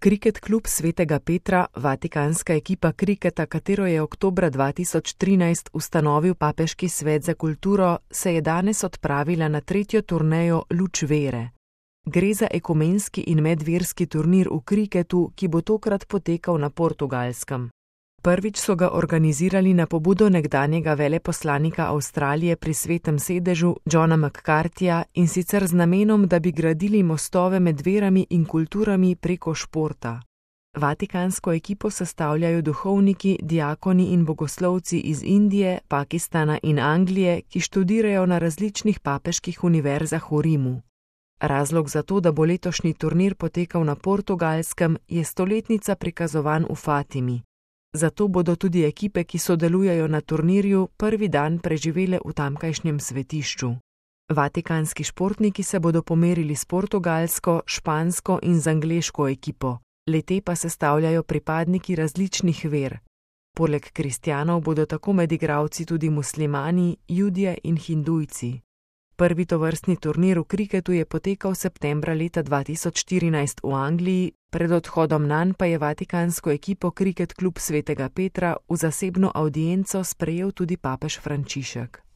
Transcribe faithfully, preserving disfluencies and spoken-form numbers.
Kriket klub Svetega Petra, vatikanska ekipa kriketa, katero je oktobra dva tisoč trinajst ustanovil Papeški svet za kulturo, se je danes odpravila na tretjo turnejo Luč vere. Gre za ekumenski in medverski turnir v kriketu, ki bo tokrat potekal na Portugalskem. Prvič so ga organizirali na pobudo nekdanjega veleposlanika Avstralije pri Svetem sedežu Johna McCarthyja in sicer z namenom, da bi gradili mostove med verami in kulturami preko športa. Vatikansko ekipo sestavljajo duhovniki, diakoni in bogoslovci iz Indije, Pakistana in Anglije, ki študirajo na različnih papeških univerzah v Rimu. Razlog za to, da bo letošnji turnir potekal na Portugalskem, je stoletnica prikazovanj v Fatimi. Zato bodo tudi ekipe, ki sodelujejo na turnirju, prvi dan preživele v tamkajšnjem svetišču. Vatikanski športniki se bodo pomerili s portugalsko, špansko in z angleško ekipo. Le-te pa sestavljajo pripadniki različnih ver. Poleg kristjanov bodo tako med igralci tudi muslimani, Judje in Hindujci. Prvi tovrstni turnir v kriketu je potekal septembra leta dva tisoč štirinajst v Angliji, pred odhodom nanj pa je vatikansko ekipo Kriket klub Svetega Petra v zasebno avdienco sprejel tudi papež Frančišek.